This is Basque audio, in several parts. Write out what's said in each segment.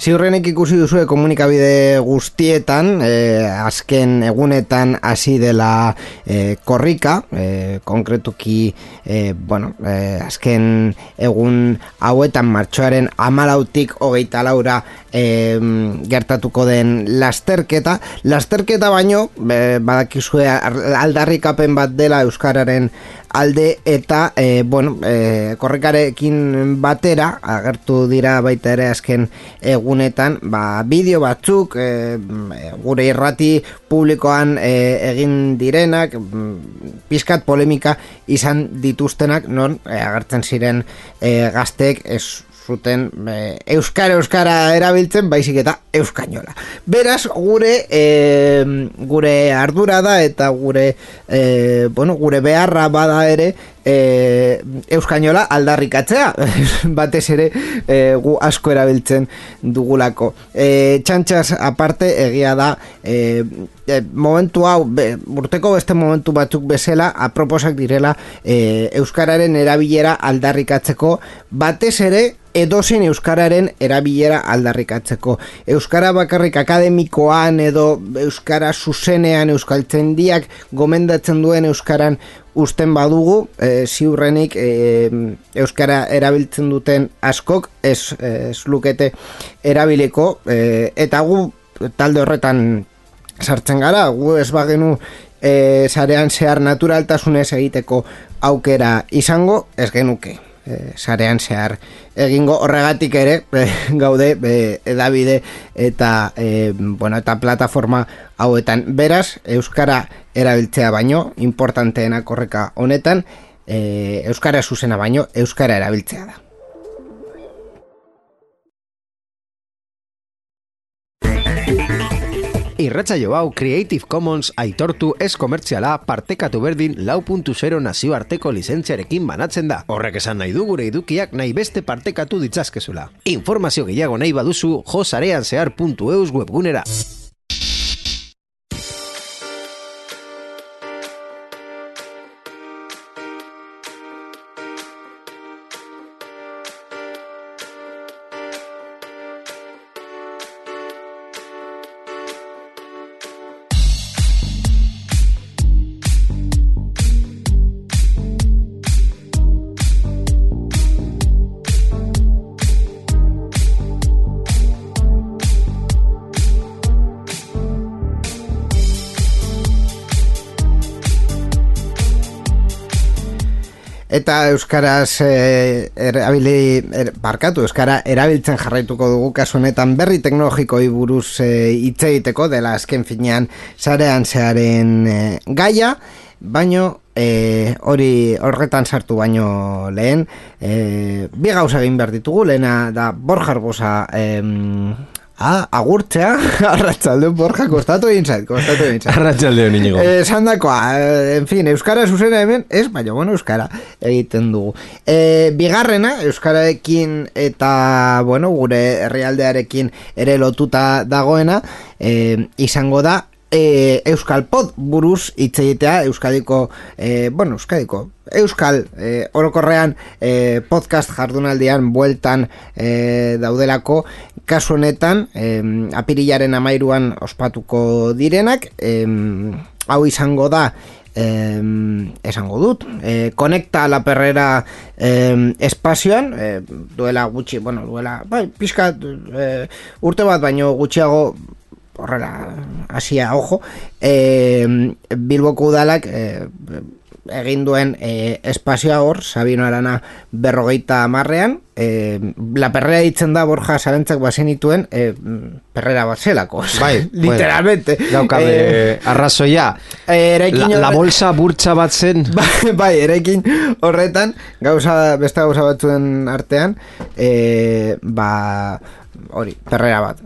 Ziurrenek ikusi duzue komunikabide guztietan, azken egunetan hasi dela korrika, konkretuki, azken egun hauetan martxoaren 14tik 24ra gertatuko den lasterketa baino, badakizue aldarrikapen bat dela euskararen alde eta korrikarekin batera agertu dira baita ere azken egunetan bideo batzuk gure irrati publikoan egin direnak pizkat polemika izan dituztenak non agertzen ziren gazteek ez zuten euskara erabiltzen baizik eta euskainola. Beraz gure ardura da eta gure beharra bada ere euskainola aldarrikatzea batez ere gu asko erabiltzen dugulako. Txantxas aparte egia da momentu hau urteko beste momentu batzuk bezala aproposak direla euskararen erabilera aldarrikatzeko batez ere edozein euskararen erabilera aldarrikatzeko. Euskara bakarrik akademikoan edo euskara zuzenean euskaltzaindiak gomendatzen duen euskaran usten badugu, ziurrenik euskara erabiltzen duten askok ez lukete erabiliko eta gu talde horretan sartzen gara, gu ez bagenu sarean zehar naturaltasunez egiteko aukera izango, ez genuke sarean zehar egingo horregatik ere gaude edabide eta eta plataforma hauetan. Beraz, euskara erabiltzea baino importanteena korrika honetan euskara zuzena baino euskara erabiltzea da. Irratsaio hau Creative Commons aitortu ez komertziala partekatu berdin 4.0 nazioarteko lizentziarekin banatzen da. Horrek esan nahi du gure edukiak nahi beste partekatu ditzazkezula. Informazio gehiago nahi baduzu josareanzehar.eus webgunera. Eta euskaraz euskara erabiltzen jarraituko dugu kasu honetan berri teknologikoi buruz hitz egiteko dela azken finean sarean zearen gaia, baino horretan sartu baino lehen bi gauza egin behar ditugu. Lehena da Borja Arbosa agurtzea. Arratsaldeon Borja, kostatu egin zait. Arratsaldeon Inigo. Esan dakoa, en fin, euskara zuzena hemen, ez, baina euskara egiten dugu. Bigarrena, euskararekin eta, gure herrialdearekin ere lotuta dagoena, izango da, Euskal Pod buruz hitz egitea, Euskal orokorrean podcast jardunaldian bueltan daudelako, kasu honetan apirilaren 13an ospatuko direnak, hau izango da esango dut Konekta la Perrera espazioan, duela gutxi, pixka urte bat baino gutxiago horrela hasia, ojo, Bilboko udalak egin duen espazioa hor, Sabino Arana 50ean, La Perrera ditzen da Borja zarentzak bazenituen perrera bat zelako, literalmente. Daukabe arrazoia, la bolsa burtsa bat zen. Bai, eraikin horretan, beste gauza batzuen artean, hori, perrera bat,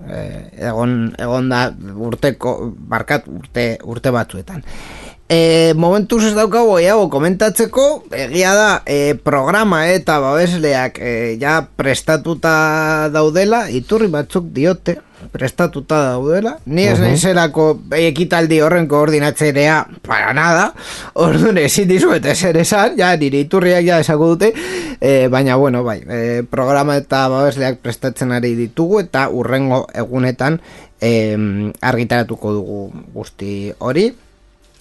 egon da urte batzuetan. Momentuz ez daukago gehiago komentatzeko, egia da programa eta babesleak ja prestatuta daudela, iturri batzuk diote prestatuta daudela, ni ez naizelako ekitaldi horren koordinatzerea para nada, orduan ezin dizuet ezer esan, ja nire iturriak ja esako dute, baina bueno, bai, programa eta babesleak prestatzen ari ditugu eta urrengo egunetan argitaratuko dugu guzti hori.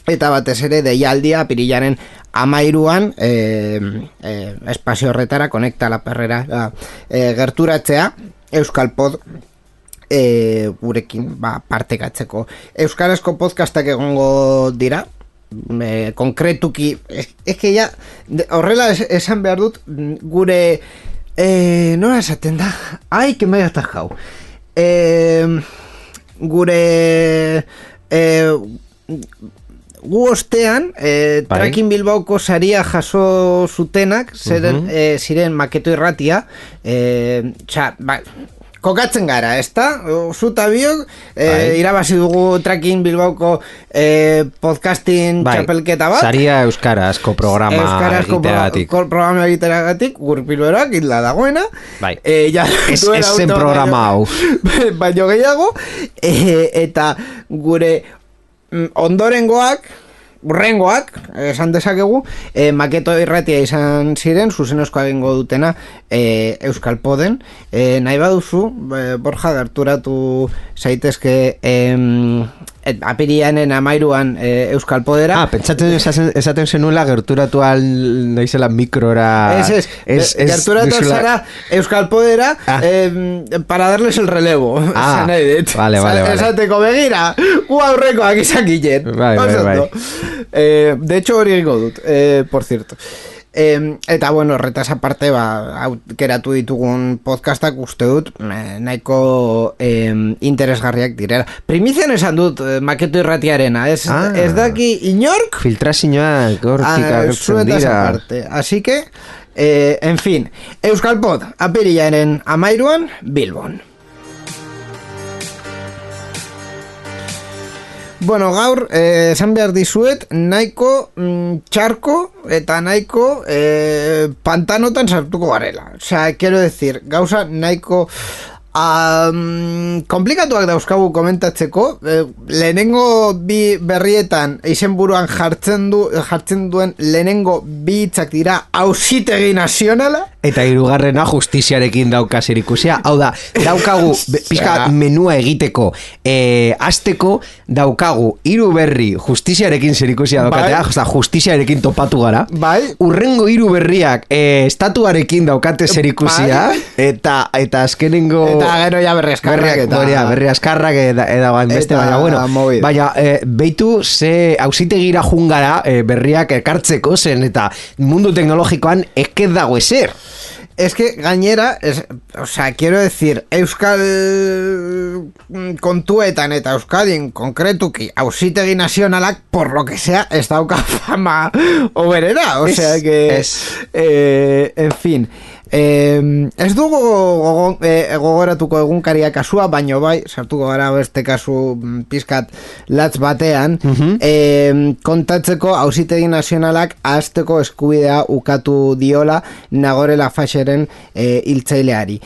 Eta batez ere deialdia apirilaren 13an espazio horretara Konekta la Perrera gerturatzea Euskal Pod gurekin partekatzeko. Euskarazko podcastak egongo dira, konkretuki que ya horrela esan behar dut gure nola esaten da? Ai, que me he atajado. Gure gu ostean Tracking Bilbaoko saria jaso zutenak ziren Maketo Irratia, kokatzen gara, ezta? Zuta biok irabazi dugu Tracking Bilbaoko podcasting txapelketa bat, saria euskarazko programa egiteragatik gurpiluerak hitla dagoena, esen programa hau baino gehiago, eta gure urrengoak esan dezakegu, Maketo Irratia izan ziren, zuzenozkoa egingo dutena Euskal Poden. Nahi baduzu, Borja, gerturatu zaitezke apirianen 13an Euskal Podera. Pentsatzen esaten zenuela gerturatu naizela mikrora. Gerturatu zara Euskal Podera para darles el relevo. Vale. Esateko begira, gu aurrekoak izan ginen. De hecho, hori egingo dut, por cierto. Eta bueno, horretaz aparte aukeratu ditugun podcastak uste dut nahiko interesgarriak direla. Primizian esan dut Maketo Irratiarena, ez daki inork filtrazioak hortik agertzen dira aparte. Así que en fin, Euskal Pod apirilaren 13an Bilbon. Bueno, gaur, esan behar dizuet, nahiko txarko eta nahiko pantanotan sartuko garela. O sea, quiero decir, gauza nahiko komplikatuak dauzkagu komentatzeko, lehenengo bi berrietan izenburuan jartzen duen lehenengo bi hitzak dira Auzitegi Nazionala, eta hirugarrena justiziarekin dauka zerikusia. Hau da, daukagu pizka menua egiteko hasteko daukagu hiru berri justiziarekin zerikusia daukatea, justiziarekin topatu gara. Urrengo hiru berriak estatuarekin daukate zerikusia, eta azkenengo gero ja berri askarrak eta beste, baina bueno, baina beitu ze auzitegira jungara berriak ekartzeko zen, eta mundu teknologikoan ez dago ezer. Es que gainera, o sea, quiero decir, Euskal kontuetan eta Euskadin konkretuki Auzitegi Nazionalak, por lo que sea, ez dauka fama oberera, o sea que en fin, ez dugu gogoratuko egunkaria kasua, baino bai, sartuko gara beste kasu pizkat latz batean, kontatzeko Auzitegi Nazionalak ahazteko eskubidea ukatu diola Nagore Lafayeren hiltzaileari.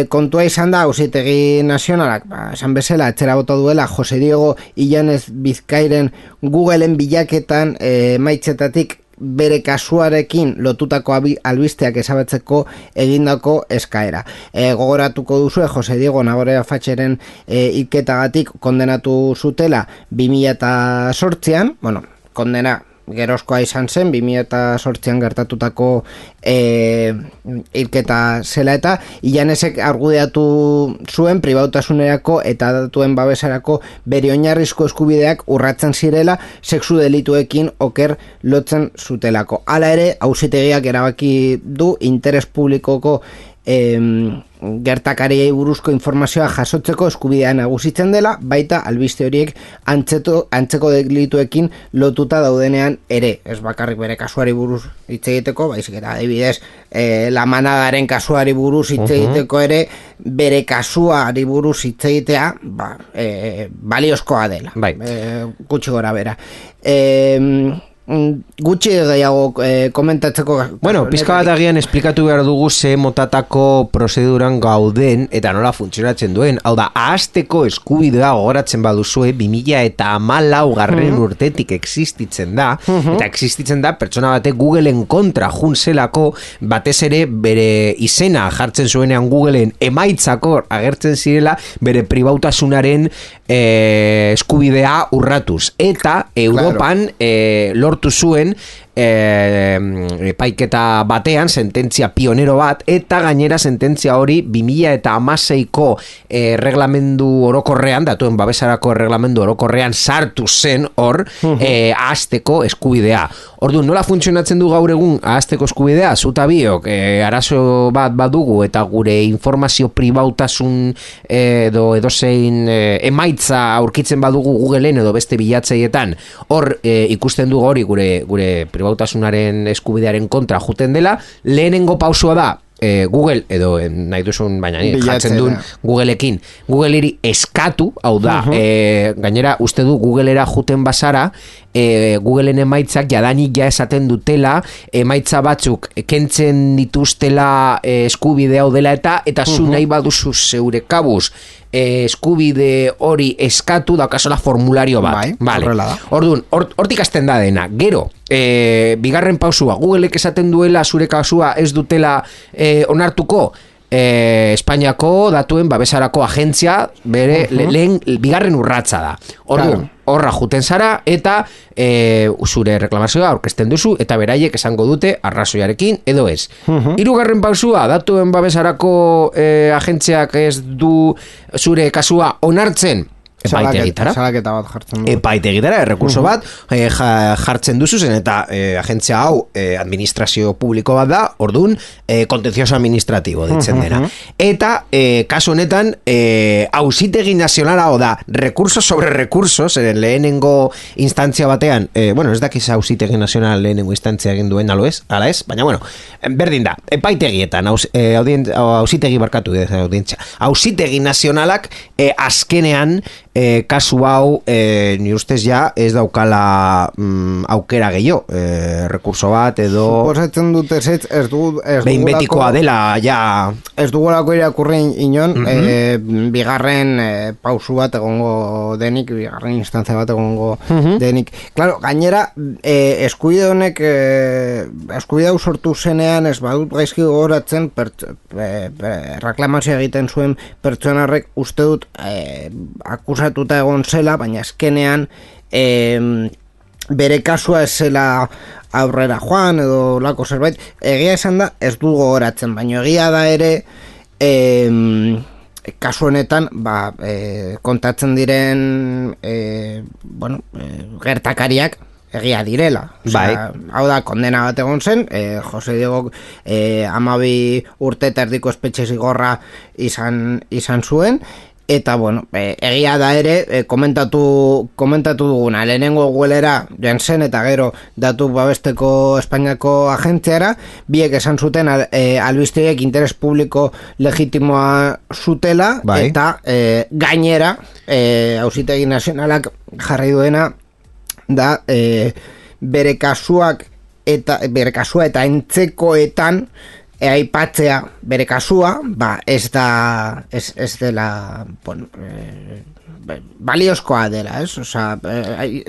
Kontua izan da Auzitegi Nazionalak, esan bezala, atzera bota duela Jose Diego Illanes Bizkairen Googleen bilaketan maitzetatik bere kasuarekin lotutako albisteak ezabatzeko egindako eskaera. Gogoratuko duzue Jose Diego Nagore Lafayeren hilketagatik kondenatu zutela 2008an, bueno, kondena gerozkoa izan zen 2008an gertatutako hilketa zela, eta Illanesek argudiatu zuen pribautasunerako eta datuen babesarako bere oinarrizko eskubideak urratzen zirela sexu delituekin oker lotzen zutelako. Hala ere, auzitegiak erabaki du interes publikoko gertakariei buruzko informazioa jasotzeko eskubidea nagusitzen dela, baita albiste horiek antzeko delituekin lotuta daudenean ere, ez bakarrik bere kasuari buruz hitz egiteko, baizik eta adibidez La Manadaren kasuari buruz hitz egiteko ere, bere kasuari buruz hitz egitea baliozkoa dela, gutxi gora bera. Gutxi gehiago komentatzeko. Bueno, pizka bat agian esplikatu behar dugu ze motatako prozeduran gauden eta nola funtzionatzen duen. Hau da, ahazteko eskubidea gogoratzen baduzue 2014 garren urtetik existitzen da, eta existitzen da pertsona batek Googleen kontra junzelako, batez ere bere izena jartzen zuenean Googleen emaitzako agertzen zirela bere pribautasunaren eskubidea urratuz. Eta Europan lortu zuen epaiketa batean sententzia pionero bat, eta gainera sententzia hori 2016ko reglamendu orokorrean, datuen babesarako reglamendu orokorrean sartu zen hor ahazteko eskubidea. Orduan, nola funtzionatzen du gaur egun ahazteko eskubidea? Zuta biok arazo bat badugu eta gure informazio pribautasun edozein emaitza aurkitzen badugu Googleen edo beste bilatzeietan, hor ikusten dugu hori gure pribautasunaren eskubidearen kontra juten dela. Lehenengo pausua da Google, edo nahi duzun, baina jartzen duen Googleekin, Googleeri eskatu, hau da, gainera uste du Googleera juten bazara, Googleen emaitzak jadanik ja esaten dutela, emaitza batzuk kentzen dituztela eskubide hau dela eta zu nahi baduzu zeure kabuz eskubide hori eskatu daukasola formulario bat. Vale. Orduan, hortik hasten da dena. Gero, bigarren pausua, Googleek esaten duela zure kasua ez dutela onartuko, Espainiako datuen babesarako agentzia bere lehen bigarren urratsa da. Orduan, horra juten zara eta zure reklamazioa aurkezten duzu eta beraiek esango dute arrazoiarekin edo ez. Hirugarren pausua, datuen babesarako agentziak ez du zure kasua onartzen, epaitegitara jartzen du. Epaitegitara, errekurso bat jartzen duzu zen, eta agentzia hau administrazio publiko bat da, orduan kontentzioso administratibo ditzen dena. Eta kasu honetan auzitegi nazionala da, recurso sobre recurso, zeren lehenengo instantzia batean, bueno, ez dakiz auzitegi nazional lehenengo instantzia egin duen ala ez, baina bueno, berdin da, epaitegietan auzitegi barkatu audientzia, auzitegi nazionalak azkenean kasu hau ni ustez ja ez daukala aukera gehiago, rekurso bat edo suposatzen dute ez behin betikoa dela ja ez dugulako irakurren inon bigarren pausu bat egongo denik, bigarren instantzia bat egongo denik. Claro, gainera eskubide honek eskubide hau sortu zenean ez badut gaizki gogoratzen reklamazioa egiten zuen pertsonarrek uste dut akusatuta egon zela, baina azkenean bere kasua ez zela aurrera joan edo lako zerbait, egia esan da ez du gogoratzen, baina egia da ere kasu honetan kontatzen diren gertakariak egia direla. Hau da, kondena bat egon zen, Jose Diego 12 urte eta erdiko espetxe zigorra izan zuen, eta bueno, egia da ere komentatu duguna, lehenengo Googleera joan zen eta gero datu babesteko Espainiako agentziara, biek esan zuten albisteek interes publiko legitimoa zutela, eta gainera auzitegi nazionalak jarri duena da bere kasua eta entzekoetan aipatzea bere kasua, ez dela baliozkoa dela, ez? Osea,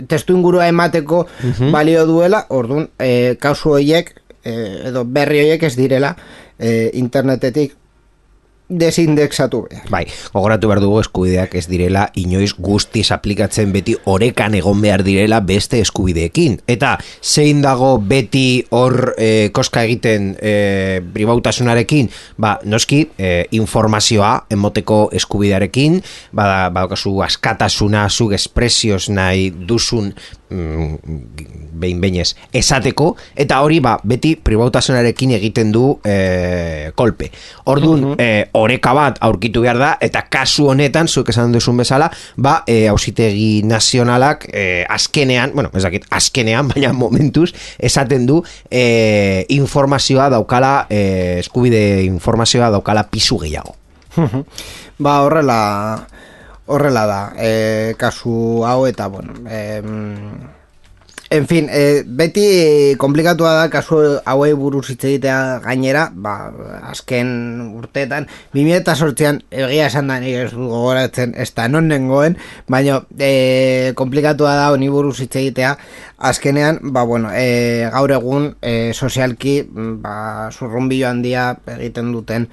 testu ingurua emateko balio duela, orduan kasu horiek edo berri horiek ez direla internetetik desindexatu behar. Gogoratu behar dugu eskubideak ez direla inoiz guztiz aplikatzen, beti orekan egon behar direla beste eskubideekin. Eta zein dago beti hor koska egiten pribautasunarekin, noski informazioa emoteko eskubidearekin, badaukazu askatasuna, zuk espresioz nahi duzun behin-behinez esateko, eta hori beti pribautasunarekin egiten du kolpe. Orduan, oreka bat aurkitu behar da, eta kasu honetan, zuek esan duzun bezala, auzitegi nazionalak azkenean, ez dakit, azkenean, baina momentuz, esaten du informazioa daukala, eskubide informazioa daukala pisu gehiago. Horrela da, kasu hau eta, en fin, beti komplikatua da kasu hauei buruz hitz egitea gainera, azken urteetan, 2008an egia esan da nik ez dut gogoratzen, ez da non nengoen, baina komplikatua da honi buruz hitz egitea, azkenean, gaur egun sozialki zurrunbilo handia egiten duten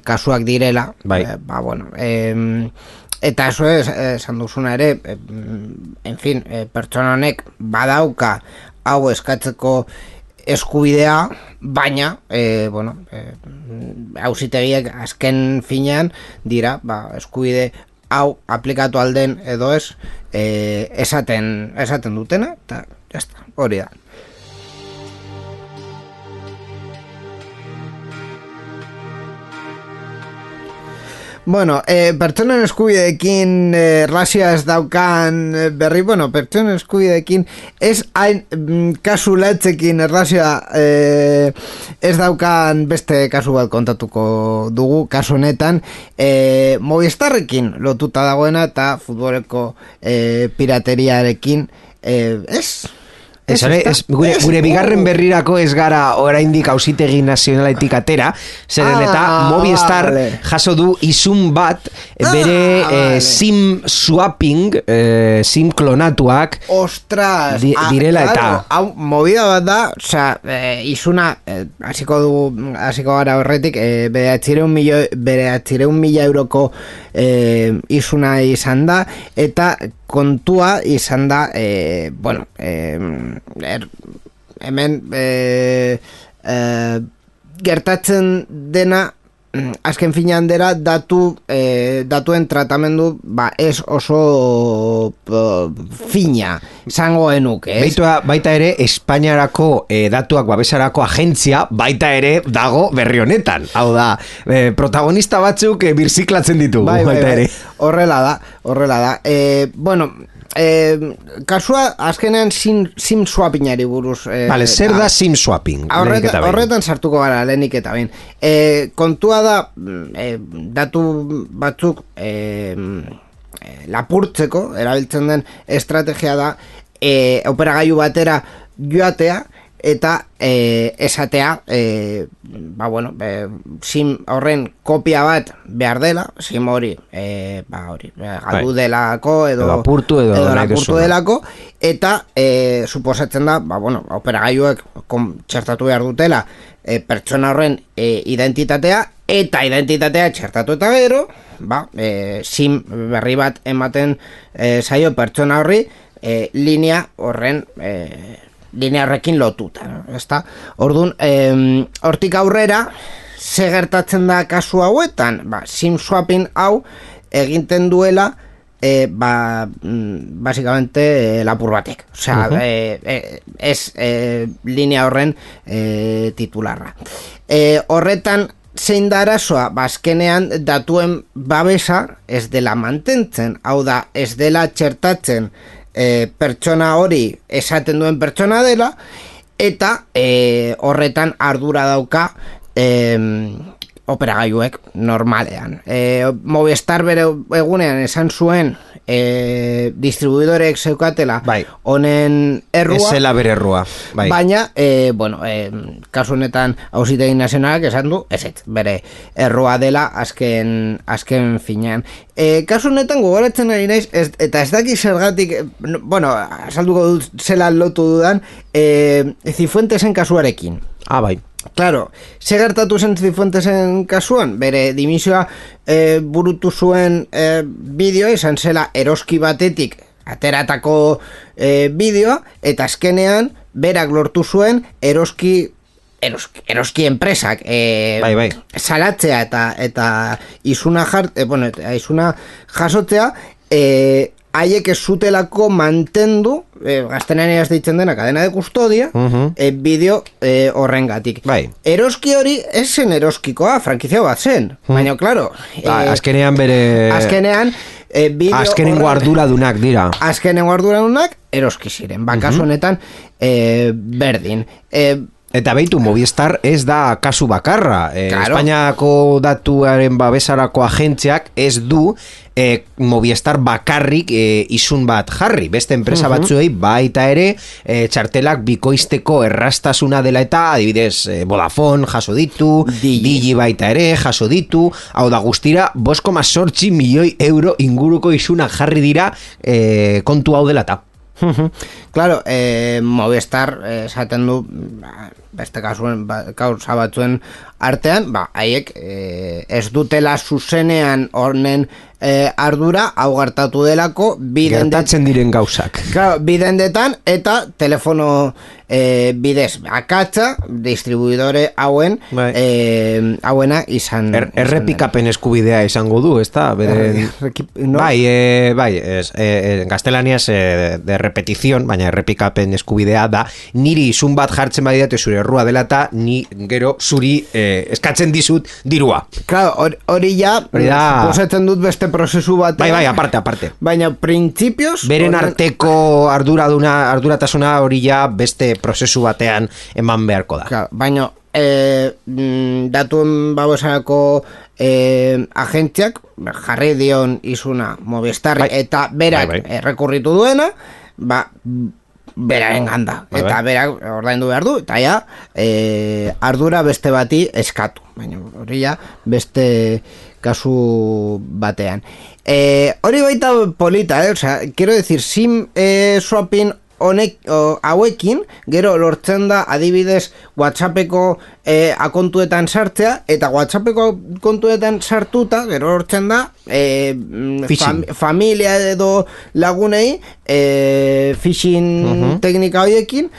kasuak direla, eta eso esan duzuna ere, en fin, pertsona honek badauka hau eskatzeko eskubidea, baina, auzitegiek azken finean dira, eskubide hau aplikatu alden edo ez, esaten dutena, eta jazta, hori da. Pertsonen eskubideekin razia ez daukan berri, pertsonen eskubideekin ez hain kasu latzekin razia ez daukan beste kasu bat kontatuko dugu, kasu honetan Movistarrekin lotuta dagoena eta futboleko pirateriarekin gure bigarren berrirako ez gara oraindik auzitegi nazionaletik atera, zeren eta Movistar jaso du izun bat bere sim swapping, sim klonatuak direla eta hau movida bat da, izuna hasiko gara horretik, bere 800.000 euroko izuna izan da, eta kontua izan da, hemen gertatzen dena azken finean dela datuen tratamendu ez oso fina zango genuke, baita ere Espainiarako datuak babesarako agentzia baita ere dago berri honetan, hau da protagonista batzuk birziklatzen ditu baita ere. Horrela da kasua azkenean sim swappingari buruz zer da sim swapping? Horretan sartuko gara lehenik eta bain kontua da datu batzuk lapurtzeko erabiltzen den estrategia da operagailu batera joatea eta esatea sim horren kopia bat behar dela, sim hori galdu delako edo lapurtu delako, eta suposatzen da operagailuek txertatu behar dutela pertsona horren identitatea, eta identitatea txertatu eta gero sim berri bat ematen zaio pertsona horri linea horrekin lotuta, ezta? Orduan, hortik aurrera, ze gertatzen da kasu hauetan, sim swapping hau eginten duela básicamente lapur batek, ez linea horren titularra. Horretan zein da arazoa, azkenean datuen babesa ez dela mantentzen, hau da, ez dela txertatzen pertsona hori esaten duen pertsona dela, eta horretan ardura dauka operagailuek normalean. Movistar bere egunean esan zuen distribuidorek zeukatela honen errua, ez zela bere errua, baina kasu honetan auzitegi nazionalak esan du bere errua dela azken finean. Kasu honetan gogoratzen ari naiz, eta ez daki zergatik, azalduko dut zela lotu dudan, Cifuentesen kasuarekin. Claro, ze gertatu zen Cifuentesen kasuan, bere dimisioa burutu zuen bideoa, izan zela eroski batetik ateratako bideoa, eta azkenean berak lortu zuen eroski enpresak salatzea eta izuna jasotzea haiek ez zutelako mantendu, gaztenean ez ditzen dena cadena de custodia, bideo horrengatik. Bai. Eroski hori ez zen eroskikoa, frankizia bat zen. Baina, klaro... azkenean bere... Azkenengo arduradunak dira. Azkenengo arduradunak eroski ziren. Kasu honetan, berdin. Eta beitu, Movistar ez da kasu bakarra. Claro. Espainiako datuaren babesarako agentziak ez du Movistar bakarrik isun bat jarri. Beste enpresa batzuei baita ere txartelak bikoizteko errastasuna dela eta adibidez Vodafone jaso ditu, Digi baita ere jaso ditu, hau da guztira 5,8 milioi euro inguruko isunak jarri dira kontu hau dela eta. Claro, Movistar esaten du beste kasuen kausa batzuen artean, haiek ez dutela zuzenean honen ardura hau gertatu delako gertatzen diren gauzak. Claro, bidendetan eta telefono bidez akatza distribuidore hauen hauena izan errepikapen eskubidea izango du, ez da? No? Bai, gaztelaniaz de repetición, baina errepikapen eskubidea da niri izun bat jartzen badidate zure errua dela eta ni gero zuri eskatzen dizut dirua. Claro, hori ja posetzen dut beste prozesu bat. Bai, aparte. Baina printzipioz beren arteko arduratasuna hori ja beste prozesu batean eman beharko da. Claro, baina datuen babesarako agentziak jarri dion izuna Movistar eta berak errekurritu duena, beraren ganda. Eta berak ordaindu behar du, eta ja ardura beste bati eskatu. Baina hori ja beste kasu batean. Hori baita polita, o sea, quiero decir, SIM swapping hauekin, gero lortzen da adibidez WhatsAppeko akontuetan sartzea, eta WhatsAppeko kontuetan sartuta, gero lortzen da familia edo lagunei phishing teknika horiekin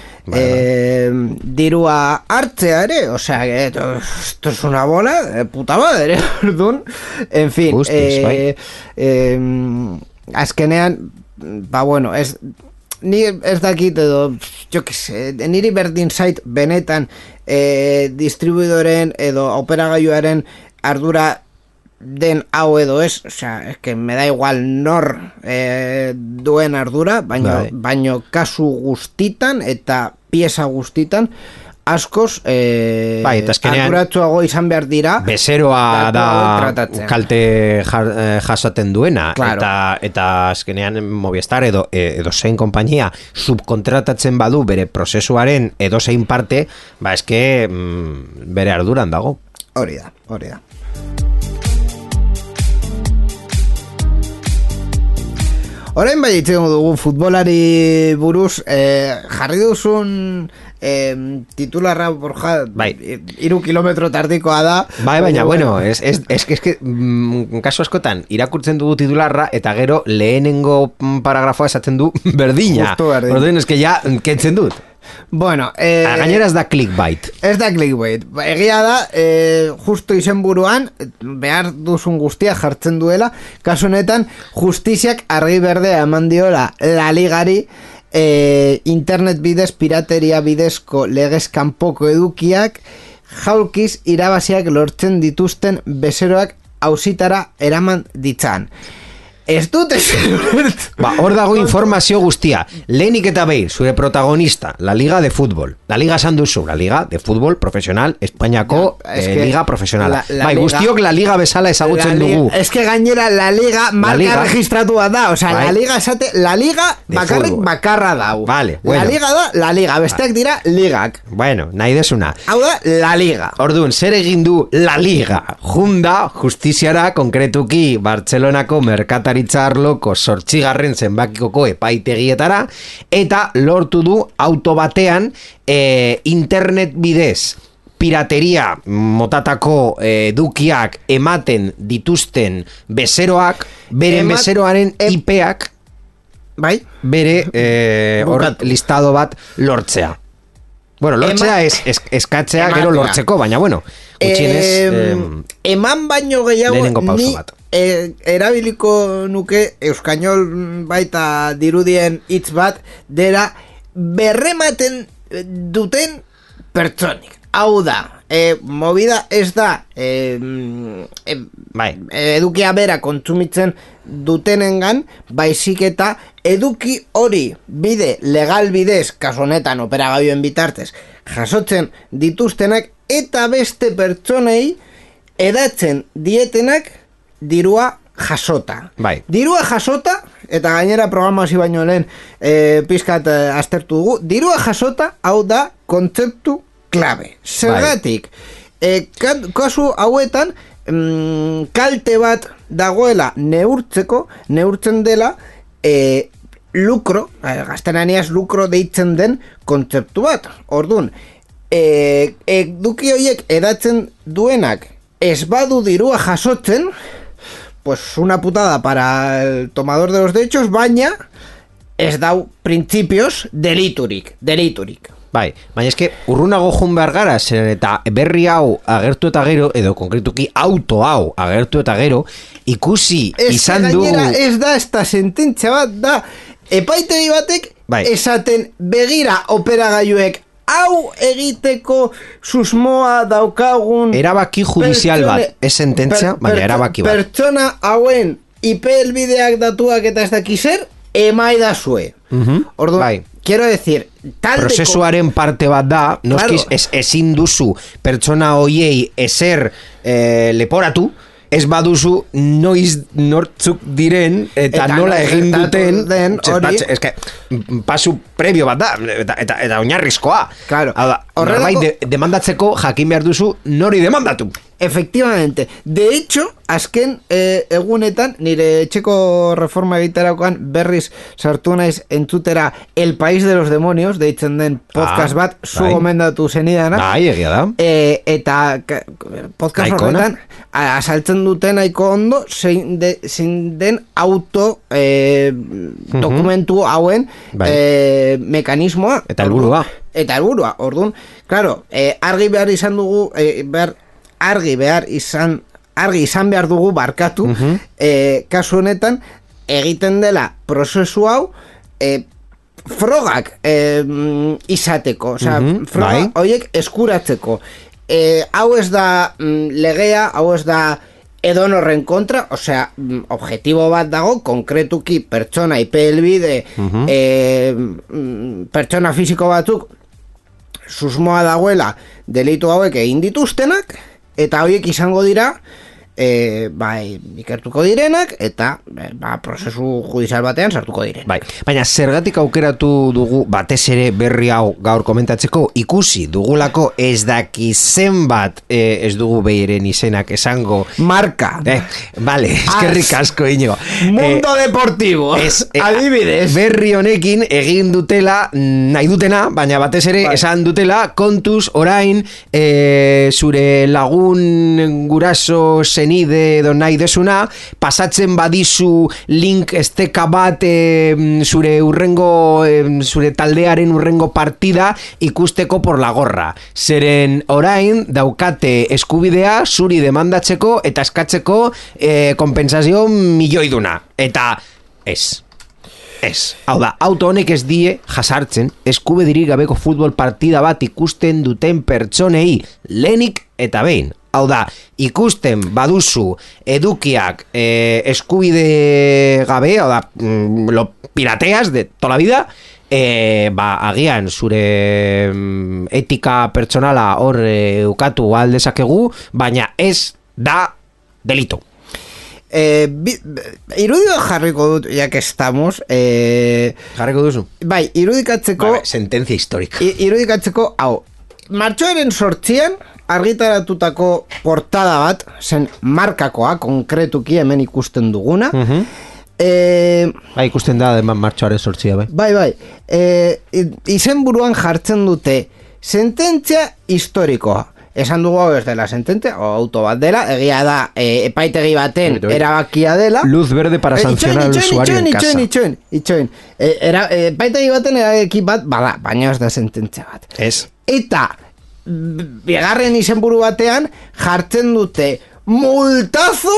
dirua hartzea ere, o sea, esto es una bola de puta madre, orduan, en fin, azkenean, bueno, ni ez dakit edo, jo que se, niri berdin zait benetan distribuidoren edo operagailuaren ardura den hau edo ez, o sea, es que me da igual nor duen ardura, baino kasu guztitan eta pieza guztitan askoz arduratsuago izan behar dira bezeroa da kalte jasaten duena, claro. eta azkenean Movistar edo zein konpainia subkontratatzen badu bere prozesuaren edo zein parte, eske bere arduran dago. Hori da. Orain itzen dugu futbolari buruz, jarri duzun titularra Borja, 3 kilometro tardikoa da. Baina, bueno, es que kasu askotan irakurtzen dugu titularra eta gero lehenengo paragrafoa esaten du berdina. Orduan, es que ja kentzen dut. Bueno, gainera ez da clickbait. Ez da clickbait. Egia da, justo izenburuan behar duzun guztia jartzen duela. Kasu honetan, justiziak argi berdea eman diola La Ligari internet bidez, pirateria bidezko legez kanpoko edukiak jaulkiz irabaziak lortzen dituzten bezeroak auzitara eraman ditzan. Ez dut hor dago informazio guztia. Lehenik eta behin, zure protagonista, la Liga de Fútbol. La Liga esan duzu, la Liga de Fútbol profesional, Espainiako Liga profesionala. Guztiok la Liga bezala ezagutzen dugu. Ez que gainera la Liga marka registratua da. O sea, la Liga esate, la Liga bakarrik bakarra dau. Vale, bueno. La Liga da, la Liga. Besteak dira ligak. Bueno, nahi desuna. Hau da, la Liga. Orduan, zer egin du la Liga? Junda, justiziara, konkretuki, Bartzelonako merkatari arloko 8. zenbakikoko epaitegietara eta lortu du auto batean internet bidez pirateria motatako edukiak ematen dituzten bezeroak, beren bezeroaren IPak bere listado bat lortzea. Bueno, lortzea eskatzea gero lortzeko, baina bueno, gutxienez eman baino gehiago lehenengo pauso ni bat. Erabiliko nuke euskainol baita dirudien hitz bat dera berrematen duten pertsonik. Hau da, movida ez da edukia bera kontsumitzen dutenengan, baizik eta eduki hori bide legal bidez, kasu honetan operagailuen bitartez, jasotzen dituztenak eta beste pertsonei edatzen dietenak dirua jasota. Bai. Dirua jasota, eta gainera programazio baino lehen pizkat aztertu dugu, dirua jasota, hau da kontzeptu klabe. Zergatik, kasu hauetan kalte bat dagoela neurtzen dela lukro, gaztelaniaz lukro deitzen den kontzeptu bat. Orduan, eduki horiek edatzen duenak ez badu dirua jasotzen, pues una putada para el tomador de los derechos, baina ez dau principios deliturik. Bai, baina eske urrunago joan behar gara, zeren eta berri hau agertu eta gero, edo konkretuki auto hau agertu eta gero, ikusi izan du... Gainera ez da, esta sententzia bat da, epaitegi batek esaten begira operagailuek hau egiteko susmoa daukagun... Erabaki judizial bat, ez sententzia, baina erabaki bat. Pertsona hauen IP helbideak datuak eta ez dakizer, emaidazue. Orduan, bai. Quiero decir, prozesuaren parte bat da, noskiz, ezin duzu pertsona hoiei ezer leporatu, ez baduzu noiz nortzuk diren eta nola egin duten pasu previo bat da eta oinarrizkoa. Claro. Norbait demandatzeko jakin behar duzu nori demandatu. Efectivamente. De hecho, azken egunetan, nire etxeko reforma egiterakoan berriz sartu naiz entzutera El País de los Demonios, deitzen den podcast bat, zu gomendatu zenidanak. Bai, egia da. Eta podcast horretan, asaltzen duten nahiko ondo, zein den auto dokumentu hauen mekanismoa. Eta helburua. Orduan, claro, argi izan behar dugu barkatu, kasu honetan egiten dela prozesu hau frogak izateko, froga horiek eskuratzeko. Hau ez da legea, hau ez da edonorren kontra, osea, objektibo bat dago, konkretuki pertsona IP helbide, pertsona fisiko batzuk susmoa dagoela delitu hauek egin dituztenak, eta horiek izango dira ikertuko direnak eta prozesu judizial batean sartuko diren. Baina zergatik aukeratu dugu batez ere berri hau gaur komentatzeko, ikusi dugulako ez daki zenbat ez dugu behiren izenak esango marka. Vale, eskerrik asko Iñigo. Mundo Deportivo. Adibidez. Berri honekin egin dutela nahi dutena, baina batez ere esan dutela kontuz orain zure lagun guraso zenide edo nahi desuna, pasatzen badizu link esteka bat zure zure taldearen urrengo partida ikusteko por la gorra. Zeren orain daukate eskubidea zuri demandatzeko eta eskatzeko kompensazio milioiduna. Eta ez. Hau da, auto honek ez die jasartzen eskubedirik gabeko futbol partida bat ikusten duten pertsonei lehenik eta behin. Hau da, ikusten baduzu edukiak eskubide gabe, hau da, lo pirateas de toda la vida, agian zure etika pertsonala hor ukatu aldezakegu, baina ez da delito. Irudio jarriko dut, ya que estamos, jarriko duzu? Bai, irudikatzeko sentencia histórica. Irudikatzeko, hau, martxoaren 8an argitaratutako portada bat, zen markakoa, konkretuki hemen ikusten duguna. Ikusten da, martxoaren 8a, bai. Bai. Izen buruan jartzen dute sententzia historikoa. esan dugu hau ez dela sententzia, o auto bat dela, egia da epaitegi baten erabakia dela. Luz verde para sancionar al usuario en casa. Itxoin. Epaitegi baten erabaki bat, bada, baina ez da sententzia bat. Ez. Eta, bigarren izenburu batean, jartzen dute multazo,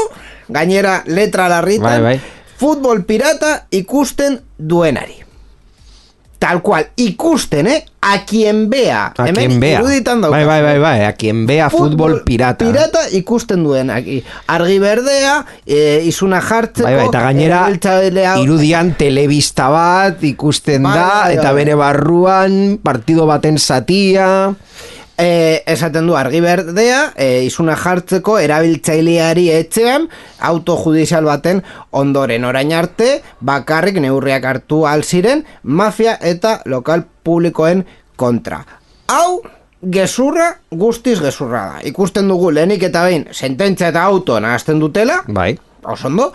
gainera letra larritan, bai. futbol pirata ikusten duenari. Tal cual, ikusten, a quien vea. A quien vea. Bai, a quien vea fútbol pirata. Pirata ikusten duen. Argi berdea, izuna jartzeko. Bai, eta gainera, irudian telebista bat ikusten da, eta bere barruan, partido baten zatia. Esaten du argi berdea, izuna jartzeko erabiltzaileari etxean autojudizial baten ondoren, orain arte bakarrik neurriak hartu alziren mafia eta lokal publikoen kontra. Hau gezurra, guztiz gezurra da. Ikusten dugu lehenik eta behin sententzia eta auto nahazten dutela, bai, osondo,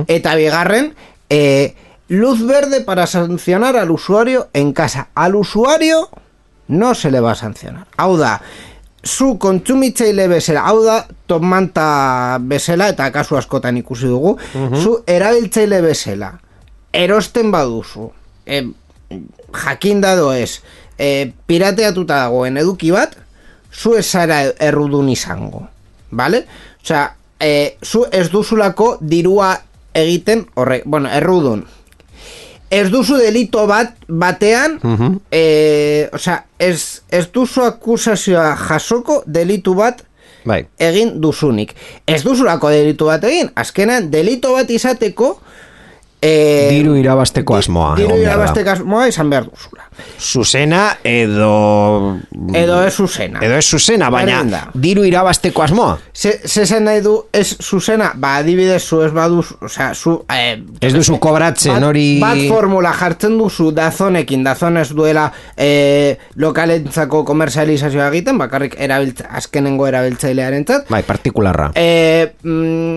eta bigarren luz verde para sancionar al usuario en casa. Al usuario no se le va a sancionar. Hau da, zu kontsumitzaile bezala, hau da, top manta bezala, eta kasu askotan ikusi dugu, zu erabiltzaile bezala, erosten baduzu, jakin dado ez, pirateatuta dagoen eduki bat, zu ez zara errudun izango, vale? Osea, zu ez duzulako dirua egiten, errudun. Ez duzu delito batean, osea, ez duzu akusazioa jasoko delitu bat egin duzunik. Ez duzulako delitu bat egin, azkenan delito bat izateko diru irabasteko asmoa. Diru irabasteko asmoa izan behar duzula. Zuzena edo ez zuzena. Baina diru irabasteko asmoa. Zezen nahi du ez zuzena, adibidez zu ez baduz, osea, zu ez duzu kobratzen hori. Bat formula jartzen duzu Dazonekin, Dazon ez duela lokalentzako komerzializazioa egiten, bakarrik azkenengo erabiltzailearentzat. Bai, partikularra.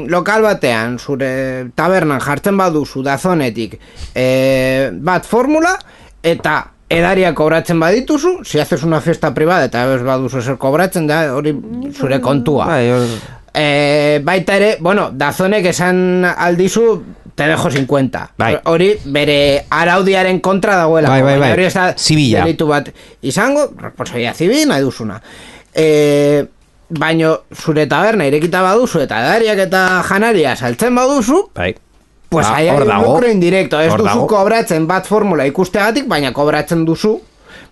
Lokal batean, zure tabernan jartzen baduzu Dazonetik bat formula, eta edaria kobratzen badituzu, si haces una fiesta privada eta ez baduzu zer kobratzen da, hori zure kontua. Baita ere, Dazonek esan aldizu, te dejo 50. Hori bere araudiaren kontra dagoela. Hori ez da delitu bat izango, responsabilidad civil, nahi duzuna. Baina zure taberna irekita baduzu, eta edariak eta janaria saltzen baduzu, pues ahí hay un lucro indirecto. Ez duzu kobratzen bat formula ikusteagatik, baina kobratzen duzu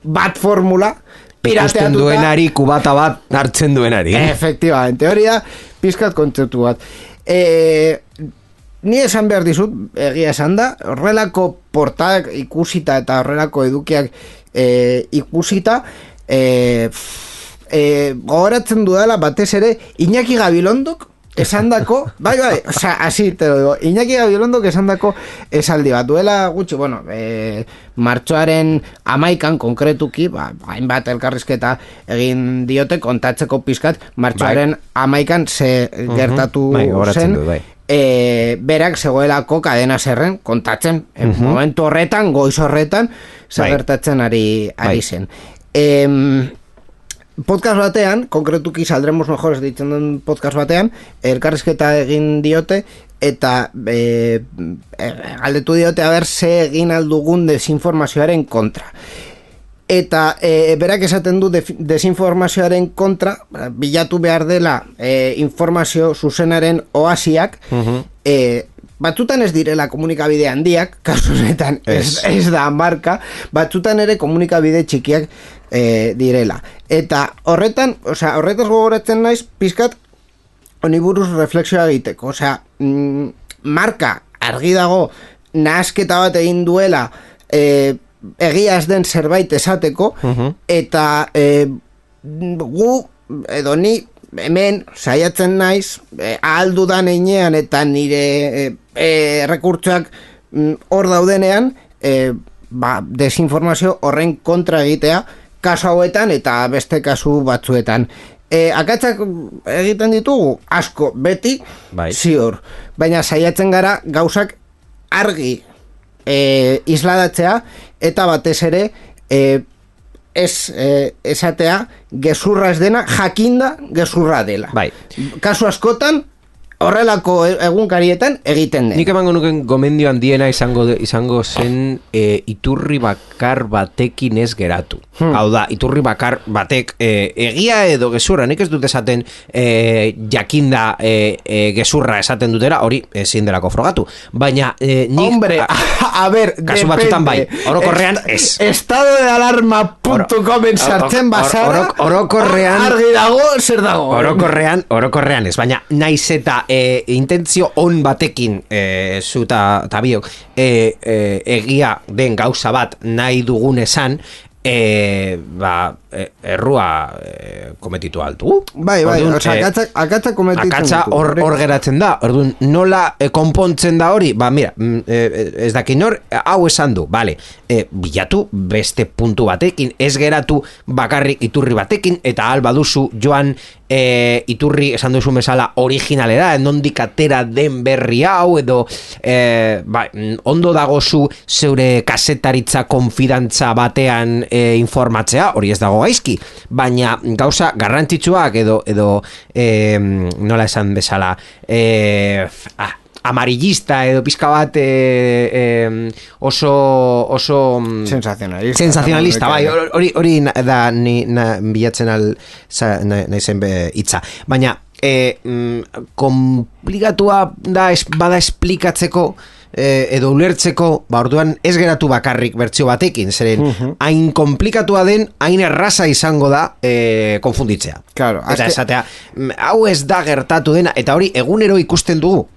bat formula pirateatuta. Ikusten duenari, kubata bat hartzen duenari. Efectivamente, hori da pizkat kontzeptu bat. Ni esan behar dizut, egia esan da, horrelako portadak ikusita eta horrelako edukiak ikusita, gogoratzen dudala batez ere Iñaki Gabilondok esandako, bai, osea, así te lo digo, Iñaki Gabilondok esandako esaldi bat duela gutxi, martxoaren 11an konkretuki, hainbat elkarrizketa egin diote kontatzeko pizkat martxoaren 11an ze gertatu zen, berak zegoelako kadena zerren kontatzen, momentu horretan, goiz horretan, ze gertatzen ari zen. Podcast batean, konkretuki saldremos mejores ditzen den podcast batean, elkarrizketa egin diote, eta galdetu diote haber ze egin aldugun desinformazioaren kontra. Eta berak esaten du desinformazioaren kontra, bilatu behar dela informazio zuzenaren oasiak, batzutan ez direla komunikabide handiak, kasu honetan ez da marka, batzutan ere komunikabide txikiak direla. Eta horretaz gogoratzen naiz pizkat honi buruz reflexioa egiteko. Marka argi dago nahasketa bat egin duela egia ez den zerbait esateko, eta gu edo ni hemen saiatzen naiz ahaldudan einean eta nire rekurtsoak hor daudenean desinformazio horren kontra egitea kasu hauetan eta beste kasu batzuetan. Akatsak egiten ditugu asko, beti ziur, baina saiatzen gara gauzak argi isladatzea eta batez ere ez esatea gezurra ez dena, jakinda gezurra dela. Bai. Kasu askotan, horrelako egunkarietan egiten den. Nik emango nuken gomendio handiena izango zen iturri bakar batekin ez geratu. Hau da, iturri bakar batek egia edo gezurra, nik ez dut esaten jakinda gezurra esaten dutera, hori ezin delako frogatu. Baina nik... Hombre, a ver, kasu batzutan bai, orokorrean ez. Estado de alarma.comen sartzen basara, orokorrean... argi dago, zer dago. Orokorrean ez, baina naiz eta intentzio on batekin zuta biok egia den gauza bat nahi dugun esan errua kometitu altu. Bai, akatza kometitzen. Akatza hor geratzen da. Orduan, nola konpontzen da hori? Mira, ez dakin hor, hau esan du, vale, bilatu beste puntu batekin, ez geratu bakarrik iturri batekin, eta alba duzu joan iturri esan duzu bezala originalera, nondik atera den berri hau, edo ondo dagozu zeure kasetaritza konfidantza batean informatzea, hori ez dago gaizki, baina gauza garrantzitsuak edo nola esan bezala amarillista edo pizka bat oso sensacionalista, bai, hori da ni bilatzen naizen hitza, baina komplikatua da bada esplikatzeko edo ulertzeko, orduan ez geratu bakarrik bertsio batekin, zeren hain komplikatua den, hain erraza izango da konfunditzea. Claro, eta esatea, hau ez da gertatu dena, eta hori egunero ikusten dugu.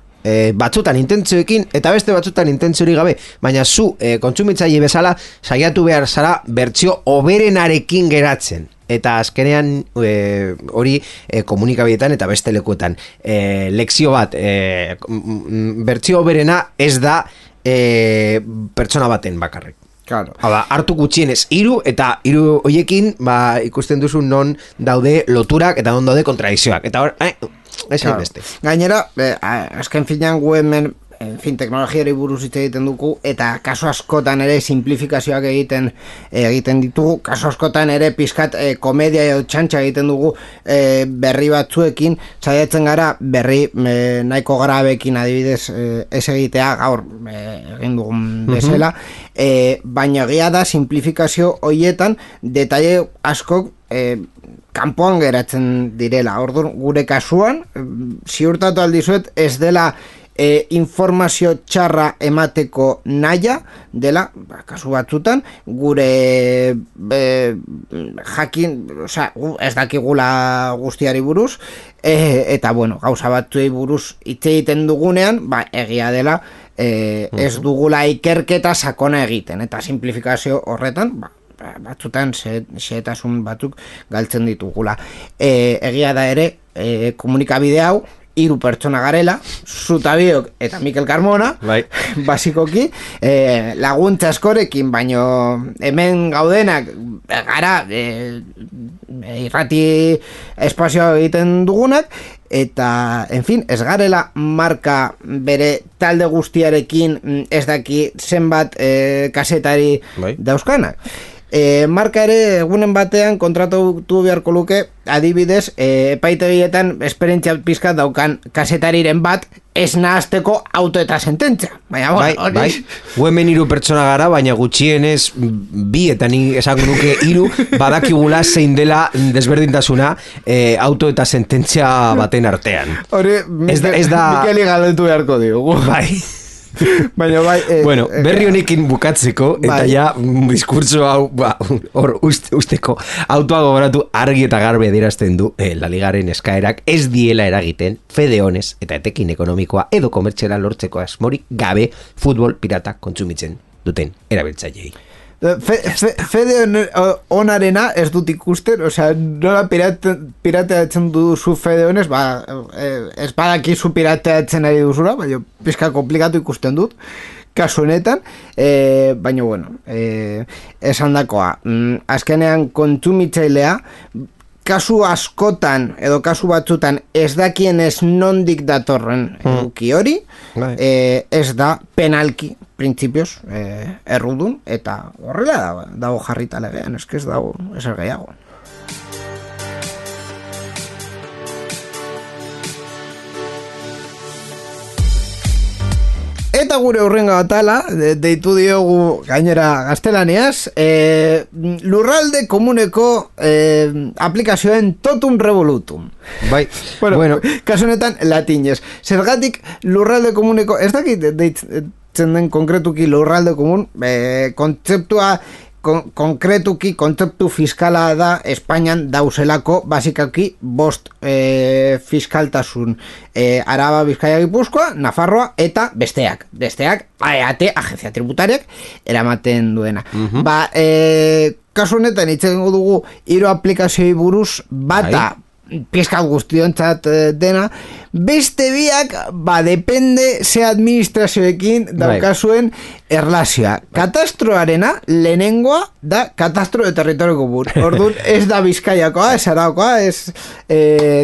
Batzutan intentzioekin eta beste batzutan intentziorik gabe, baina zu kontsumitzaile bezala saiatu behar zara bertsio hoberenarekin geratzen. Eta azkenean hori komunikabideetan eta beste lekuetan lekzio bat bertsio hoberena ez da pertsona baten bakarrik. Claro. Hala, hartu gutxienez 3 eta 3 hoiekin ikusten duzu non daude loturak eta non daude kontradizioak. Eta hor, claro. Beste. Gainera, azken finean gu hemen teknologiari buruz hitz egiten dugu, eta kasu askotan ere simplifikazioak egiten ditugu, kasu askotan ere pizkat komedia edo txantxa egiten dugu berri batzuekin, saiatzen gara berri nahiko grabekin adibidez ez egitea gaur egin dugun bezala, baina egia da simplifikazio hoietan detaile askok kanpoan geratzen direla. Orduan, gure kasuan ziurtatu aldizuet ez dela informazio txarra emateko naia dela, kasu batzutan gure jakin, ez dakigula guztiari buruz, eta bueno, gauza batzuei buruz hitz egiten dugunean, egia dela ez dugula ikerketa sakona egiten, eta simplifikazio horretan batzutan xehetasun batzuk galtzen ditugula. Egia da ere komunikabide hau 3 pertsona garela, Zutabiok eta Mikel Carmona, bai. Basikoki, laguntza askorekin, baino hemen gaudenak gara irrati espazioa egiten dugunak, eta, en fin, ez garela marka bere talde guztiarekin ez daki zenbat kasetari dauzkanak. Marka ere egunen batean kontratatu beharko luke adibidez epaitegietan esperientzia pizkat daukan kasetariren bat ez nahazteko auto eta sententzia. Baina, bai. Gu hemen 3 pertsona gara, baina gutxienez 2 eta ni esango nuke 3 badakigula zein dela desberdintasuna auto eta sententzia baten artean. Hori, Mikeli galdetu beharko diogu. Bai. Baina bueno, berri honekin bukatzeko eta ja diskurtso hau hor usteko autoa gogoratu argi eta garbi adierazten du La Ligaren eskaerak ez diela eragiten fede honez eta etekin ekonomikoa edo komertziala lortzeko asmorik gabe futbol pirata kontsumitzen duten erabiltzaileei. Fede onarena ez dut ikusten, nola pirateatzen duzu fede honez, ez badakizu pirateatzen ari duzura, baina pizka komplikatu ikusten dut, kasu honetan, baina bueno, esan dakoa, azkenean kontsumitzailea, kasu askotan edo kasu batzutan ez dakien ez nondik datorren eduki hori, ez da penalki printzipioz errudun, eta horrela dago jarrita legean, ez dago ezer gehiago. Eta gure hurrengo atala, deitu diogu gainera gaztelaniaz, lurralde komuneko aplikazioen totum revolutum. Bai, bueno. Kasu honetan latinez. Zergatik lurralde komuneko, ez dakit deitzen den konkretuki lurralde komun, kontzeptua konkretuki kontzeptu fiskala da Espainian dauzelako basikaki 5 fiskaltasun Araba, Bizkaia, Gipuzkoa, Nafarroa eta besteak AEAT, agencia tributariak eramaten duena. Kasu honetan itzen dugu 3 aplikazioi buruz bata pizkat guztiontzat dena, beste biak depende ze administrazioekin daukazuen erlazioa. Katastroarena lehenengoa da katastro de territorio común. Orduan ez da Bizkaiakoa, ez Araukoa,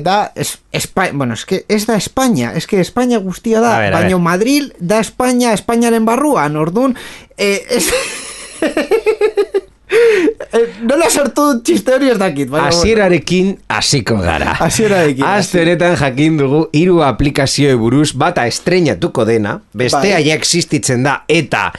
da España, bueno, ez da España, España guztia da, baina Madrid da España, Espainiaren barruan, orduan nola sortu txiste hori ez dakit. Hasierarekin hasiko gara. Aste honetan jakin dugu 3 aplikazioe buruz bata estreinatuko dena, bestea ja existitzen da eta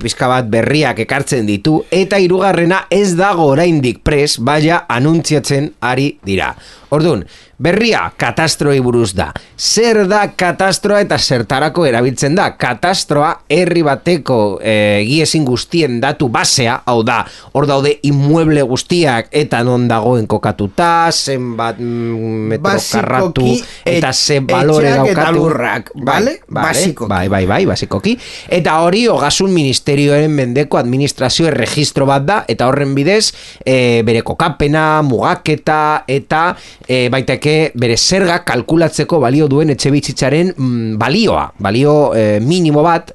pizka bat berriak ekartzen ditu, eta 3. ez dago oraindik prest, baina anuntziatzen ari dira. Orduan, berria katastroi buruz da. Zer da katastroa eta zertarako erabiltzen da? Katastroa herri bateko egiezin guztien datu basea, hau da, hor daude inmueble guztiak eta non dagoen kokatuta, zenbat metro karratu eta ze balore daukatu. Eta lurrak, bale? Basikoki. Bai, basikoki. Eta hori ogasun ministerioaren mendeko administrazio erregistro bat da, eta horren bidez bere kokapena, mugaketa eta baitake bere zerga kalkulatzeko balio duen etxebizitzaren balio minimo bat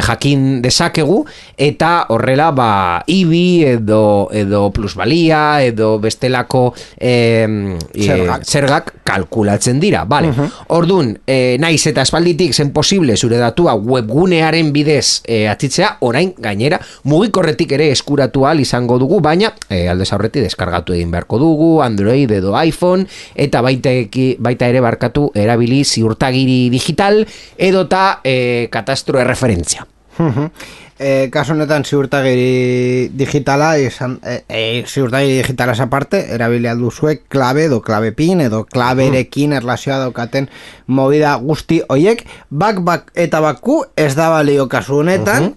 jakin dezakegu, eta horrela IBI edo plusbalia edo bestelako zergak kalkulatzen dira, vale. Orduan, naiz eta espalditik zen posible zure datua webgunearen bidez atzitzea, orain gainera mugikorretik ere eskuratu ahal izango dugu, baina aldez aurretik deskargatu egin beharko dugu Android edo iPhone, eta baita ere barkatu erabili ziurtagiri digital edota katastro erreferentzia. Kasu honetan ziurtagiri digitala ziurtagiri digitala aparte erabili alduzue klabe edo klabe pin edo klaberekin erlazioa daukaten movida guzti hoiek bak eta baku ez da balio kasu honetan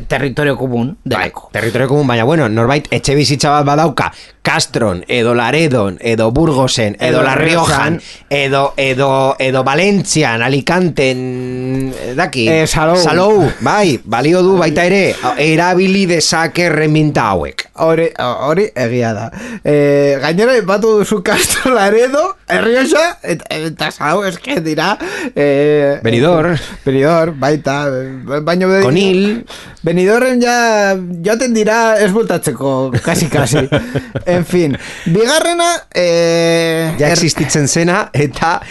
territorio komun delako. Territorio komun, baina bueno, norbait etxe bizitza bat badauka Castron, edo Laredon, edo Burgosen, edo La Riojan, edo Valentzian, Alicanten, daki, Salou, bai, balio du baita ere, erabili dezake reminta hauek. Hori egia da. Gainera, batu duzu Castro, Laredo, Errioxa, eta Salou, eske dira... Benidorm, baita, baino... Konil... Benidorren joaten dira ez bultatzeko, kasi. En fin, bigarrena... ja existitzen zena, eta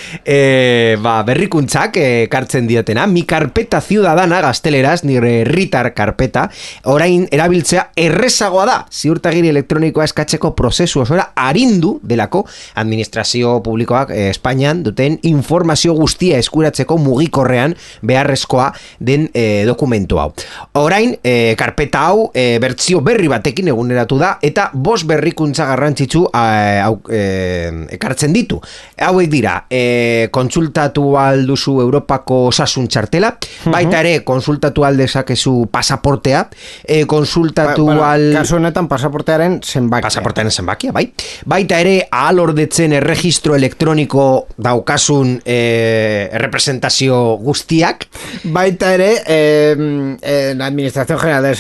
berrikuntzak kartzen diotena. Mi karpeta ciudadana, gazteleraz, nire herritar karpeta, orain erabiltzea errezagoa da. Ziurtagiri elektronikoa eskatzeko prozesu osora arindu delako administrazio publikoak Espainian duten informazio guztia eskuratzeko mugikorrean beharrezkoa den dokumentu hau. Orain, karpeta hau bertzio berri batekin eguneratu da, eta 5 berrikuntza garrantzitsu ekartzen ditu. Hauek dira, kontsultatu alduzu Europako osasun txartela, baita ere kontsultatu aldezakezu pasaportea, kontsultatu kasu honetan pasaportearen zenbakia, bai. Baita ere ahalordetzen erregistro elektroniko daukasun representazio guztiak. Baita ere la Administración General del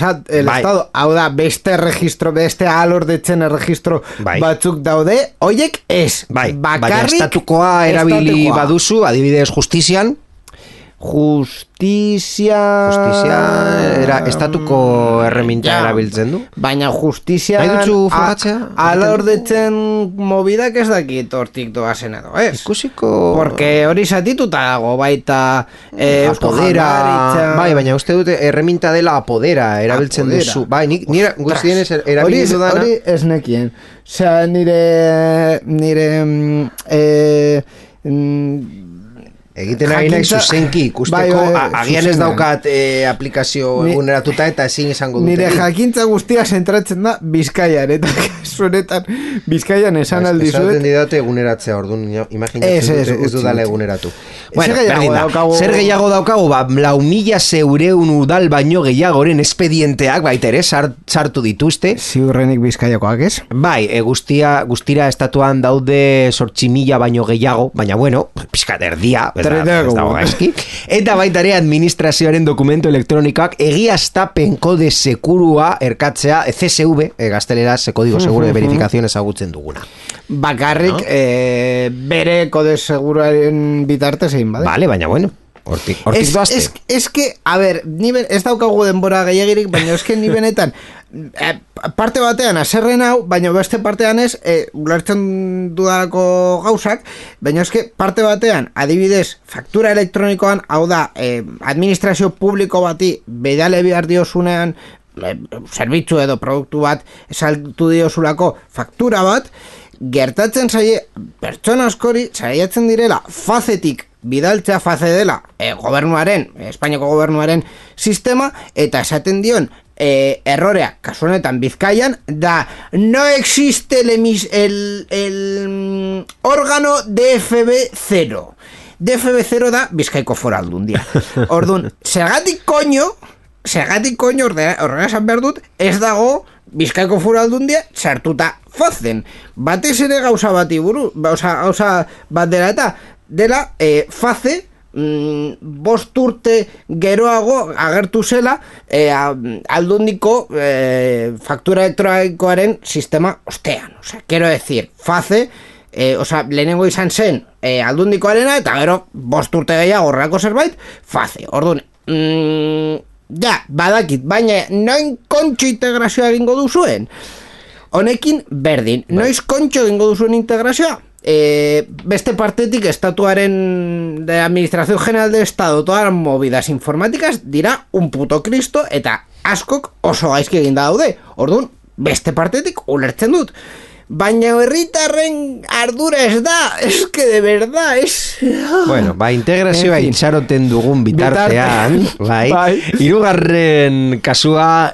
Estado, hau da, beste registro, beste ahalordetzen erregistro batzuk daude, oiek ez, bakarrik estatukoa erabili baduzu, adibidez justizian Justizia era estatuko erreminta erabiltzen du. Baina justizia Nahi dutzu frogatzea? alordetzen mobidak ez dakit hortik doazen edo, ez? Ikusiko... Porque hori zatituta dago, baita apodera... Bai, baina uste dute erreminta dela apodera erabiltzen duzu. Bai, nire guztien erabilin dudana... Hori ez nekien. Osea, nire egiten ari nahi zuzenki ikusteko, agian ez daukat aplikazio eguneratuta eta ezin izango dute. Nire jakintza guztia zentratzen da Bizkaian, eta zuretan Bizkaian esan aldizuet. Esaten didate eguneratzea, orduan imaginatzen dute ez dudala eguneratu. Bueno, zer gehiago daukagu, 4.600 udal baino gehiagoren espedienteak baita ere sartu dituzte. Ziurrenik Bizkaiakoak ez? Bai, guztira estatuan daude 8.000 baino gehiago, baina bueno, pixkat erdia, eta baita ere administrazioaren dokumento elektronikoak egiaztapen kode segurua erkatzea CSV, gazteleraz kodigo seguro de verificación ezagutzen duguna. Bakarrik bere kode seguruaren bitartez egin bade. Vale, baina bueno, hortik doazte. Es que, a ver, ez daukagu denbora gehiagirik, baina es que ni benetan parte batean aserren hau, baina beste partean ez ulertzen dudalako gauzak, baina eske parte batean adibidez faktura elektronikoan, hau da administrazio publiko bati bedale behar diozunean zerbitzu edo produktu bat esaltu diozulako faktura bat, gertatzen zaie pertsona askori saiatzen direla fazetik bidaltzea face dela gobernuaren, Espainiako gobernuaren sistema, eta esaten dion errorea, kasu honetan Bizkaian, da no existe el órgano DFB0. DFB0 da Bizkaiko Foru Aldundia. Orduan, zergatik koño horrela esan behar dut, ez dago Bizkaiko Foru Aldundia sartuta fazen. Batez ere gauza bati buru, gauza bat dela face 5 urte geroago agertu zela Aldundiko faktura elektronikoaren sistema ostean. Quiero decir, face lehenengo izan zen Aldundikoarena, eta gero 5 urte gehiago horrelako zerbait, face. Orduan, badakit, baina noin kontxo integrazioa egingo duzuen? Honekin berdin, noiz kontxo egingo duzuen integrazioa? Beste partetik estatuaren de Administración General del Estado, todas las movidas informáticas dira un puto Cristo, eta askok oso gaizki eginda daude. Orduan, beste partetik ulertzen dut. Baina herritarren ardura ez da, es que de verdad es... Bueno, integrazioa itxaroten dugun bitartean, hirugarren kasua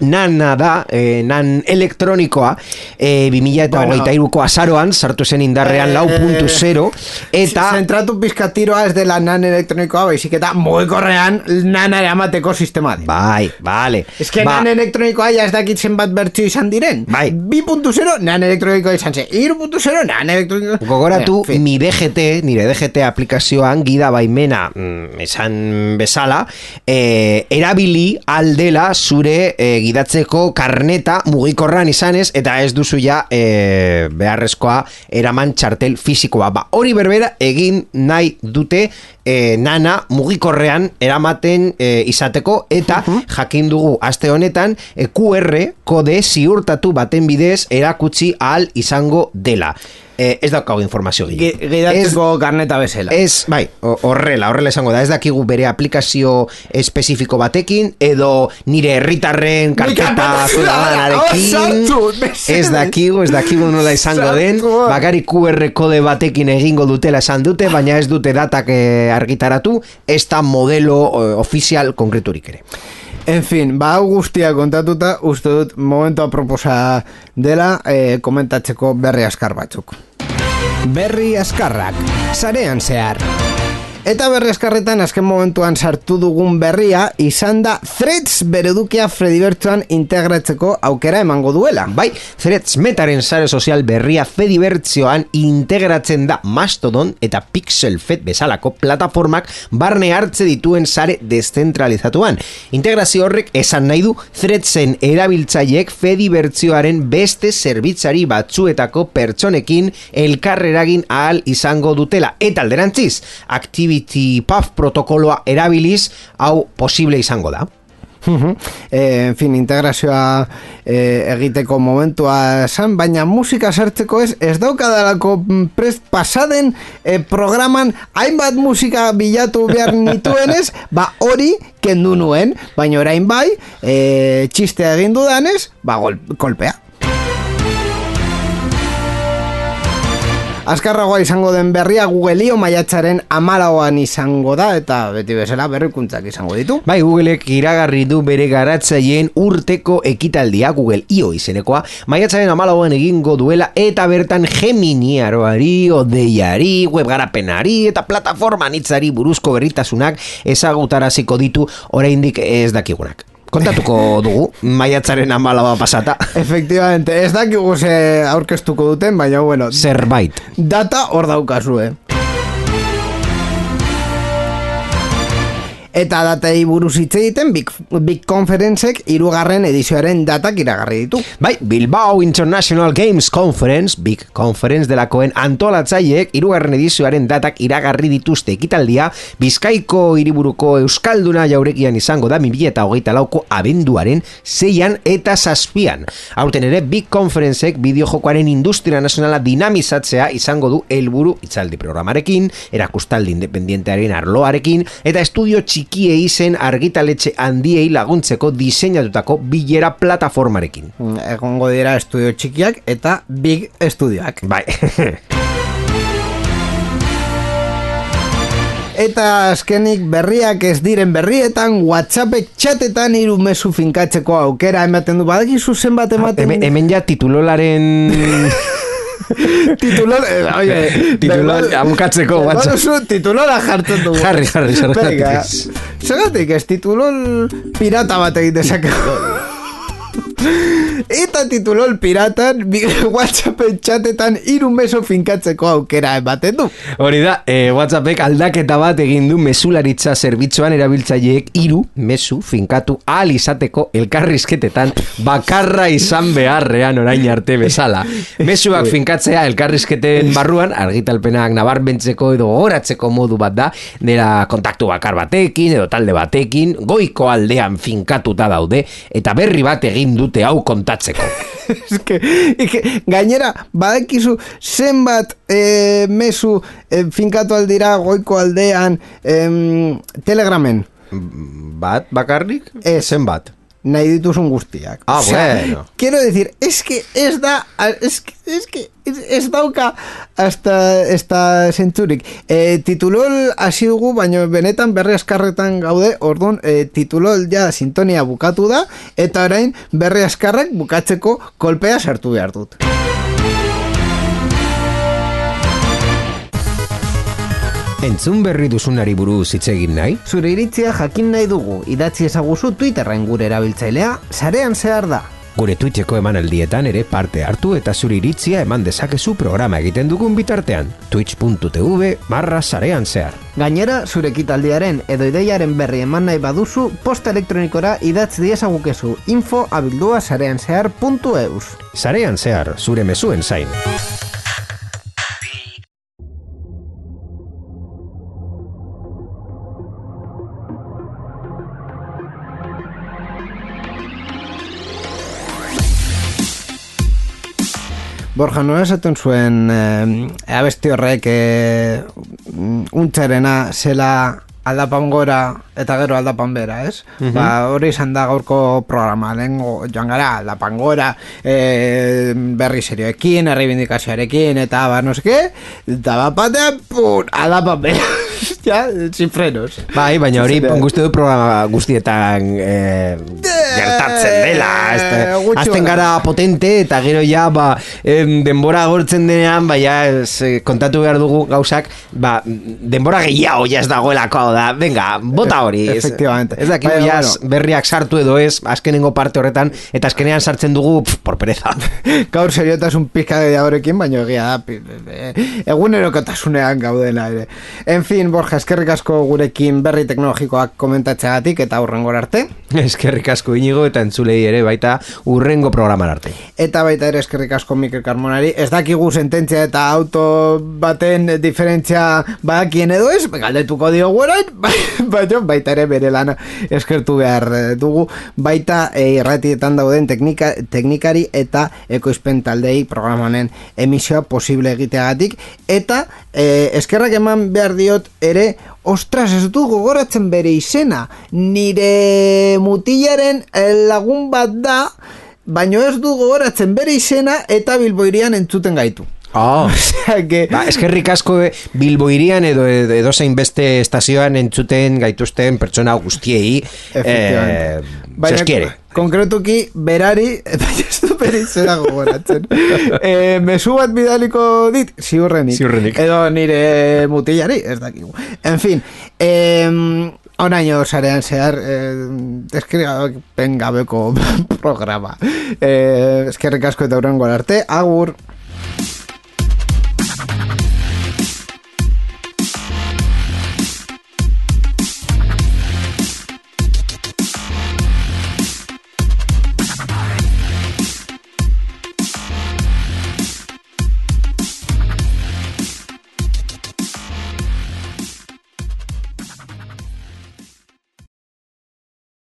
nana da, nan elektronikoa, 2023ko azaroan, sartu zen indarrean 4.0, eta... Zentratu pizkatiroa ez dela nan elektronikoa, baizik eta mugikorrean nana eramateko sistema. Bai, vale. Es que nan elektronikoa ja ez dakitzen bat bertxo izan diren. 2.0 nan elektronikoa izan zen, 3.0 nan elektronikoa. Gogoratu, nire DGT aplikazioan gida baimena esan bezala, erabili aldela zure gidatzeko karneta mugikorran izanez, eta ez duzu ja beharrezkoa eraman txartel fisikoa. Hori berbera egin nahi dute nana mugikorrean eramaten izateko, eta jakin dugu aste honetan QR kode ziurtatu baten bidez erakutsi ahal izango dela. Ez daukagu informazio gidatzeko karneta bezala. Bai, horrela izango da. Ez dakigu bere aplikazio espezifiko batekin, edo nire herritarren karteta zudadanarekin. Ez dakigu nola izango den. Bakari QR kode batekin egingo dutela esan dute, baina ez dute datak argitaratu, ez da modelo ofizial konkreturik ere. En fin, guztia kontatuta, uste dut momentu aproposa dela komentatzeko berri askar batzuk. Berri askarrak, sarean zehar. Eta berri askarretan azken momentuan sartu dugun berria izan da Threads beredukia Fedibertsuan integratzeko aukera emango duela. Bai, Threads metaren sare sozial berria Fedibertsioan integratzen da Mastodon eta Pixelfed bezalako plataformak barne hartze dituen sare deszentralizatuan. Integrazio horrek esan nahi du Threadsen erabiltzaileek Fedibertsioaren beste zerbitzari batzuetako pertsonekin elkarreragin ahal izango dutela. Eta alderantziz, aktibitate ActivityPub protokoloa erabiliz, hau posible izango da. En fin, integrazioa egiteko momentua zan, baina musika sartzeko ez daukadalako prest pasaden programan hainbat musika bilatu behar nituenez, hori kendu nuen, baina orain bai, txistea egin dudanez, kolpea. Azkarragoa izango den berria Google-io maiatzaren 14an izango da, eta beti bezala berrikuntzak izango ditu. Bai, Googleek iragarri du bere garatzaileen urteko ekitaldia Google-io izenekoa, maiatzaren 14an egingo duela, eta bertan Gemini aroari, odeiari, webgarapenari, eta plataforma anitzari buruzko berritasunak ezagutaraziko ditu oraindik ez dakigunak. Kontatuko dugu, maiatzaren 14 pasata. Efectivamente, ez dakigu ze aurkeztuko duten, baina bueno. Zerbait. Data hor daukazue. Eta datei buruz hitz egiten Big Conferencek 3. edizioaren datak iragarri ditu. Bai, Bilbao International Games Conference, Big Conference delakoen antolatzaileek 3. edizioaren datak iragarri dituzte ekitaldia Bizkaiko hiriburuko Euskalduna jaurekian izango da 2024ko abenduaren 6an eta 7an. Aurten ere Big Conferencek bideojokoaren industria nazionala dinamizatzea izango du helburu hitzaldi programarekin, erakustaldi independientearen arloarekin eta estudio txikiei zen argitaletxe handiei laguntzeko diseinatutako bilera plataformarekin. Egongo dira estudio txikiak eta big estudioak. Bai. Eta azkenik berriak ez diren berrietan WhatsAppek txatetan 3 mezu finkatzeko aukera ematen du. Badakizu zenbat ematen? Hemen ja titulolaren... Titulol amukatzeko WhatsApp. Titulola jartzen dugu. Jarri, zergatik ez titulol pirata bat egin dezakegu. Eta titulol piratan WhatsAppen txatetan 3 mezu finkatzeko aukera ematen du. Hori da, WhatsAppek aldaketa bat egin du mesularitza zerbitzuan erabiltzaileek 3 mezu finkatu ahal izateko elkarrizketetan bakarra izan beharrean orain arte bezala. Mezuak finkatzea elkarrizketen barruan argitalpenak nabarmentzeko edo goratzeko modu bat da, dela kontaktu bakar batekin edo talde batekin, goiko aldean finkatuta daude eta berri bat egin dute hau kontatzeko. Gainera, badakizu zenbat mezu finkatu aldira goiko aldean Telegramen? Bat bakarrik? Zenbat? Nahi dituzun guztiak. Bueno. Quiero decir, es que ez dauka hasta zentzurik. Titulol hasi dugu, baina benetan berri askarretan gaude, orduan titulol ja sintonia bukatu da, eta orain berri askarrak bukatzeko kolpea sartu behar dut. Entzun berri duzunari buruz hitz egin nahi? Zure iritzia jakin nahi dugu, idatzi ezaguzu Twitterren gure erabiltzailea, sarean zehar da. Gure Twitcheko emanaldietan ere parte hartu eta zure iritzia eman dezakezu programa egiten dugun bitartean. twitch.tv/sarean zehar. Gainera, zure ekitaldiaren edo ideiaren berri eman nahi baduzu, posta elektronikora idatz diezagukezu info@sareanzehar.eus. Sarean zehar, zure mezuen zain. Borja, nola esaten zuen abesti horrek untzarena zela aldapan gora eta gero aldapan bera, ez? Hori izan da gaurko programa, lehenko joan gara aldapan gora, berri serioekin, erreibindikazioarekin, eta no seke, eta bapatean, aldapan bera. Ja, sin frenos. Bai, baina hori guzti du programa guztietan gertatzen dela. Azten gara potente eta gero ja denbora gortzen denean, kontatu behar dugu gauzak, denbora gehiago ja ez dagoelako da. Venga, bota hori. Efectivamente. Ez dakik berriak sartu edo ez, azkenengo parte horretan, eta azkenean sartzen dugu por pereza. Gaur seriotasun pizka gehiagorekin, baina egia da egunerokotasunean gaudela ere. En fin, Borja, eskerrik asko gurekin berri teknologikoak komentatzeagatik eta hurrengora arte. Eskerrik asko Inigo eta entzulei ere baita urrengo programan arte. Eta baita ere eskerrik asko Mikel Carmonari. Ez dakigu sententzia eta auto baten diferentzia badakien edo ez, galdetuko diogu orain, baita ere bere lana eskertu behar dugu. Baita irratietan dauden teknikari eta ekoizpen taldei programanen emisioa posible egiteagatik. Eta eskerrak eman behar diot ere, ostras, ez du gogoratzen bere izena, nire mutilaren lagun bat da, baino ez du gogoratzen bere izena eta Bilboirian entzuten gaitu. Oh. Eskerrik asko Bilboirian edo zein beste estazioan entzuten gaituzten pertsona guztiei. Baina, konkretuki berari, eta ez du bere izena gogoratzen. Mezu bat bidaliko dit, ziurrenik. Edo nire mutilari, ez dakigu. En fin, oraino sarean zehar eskrigapen gabeko programa. Eskerrik asko eta hurrengo arte, agur.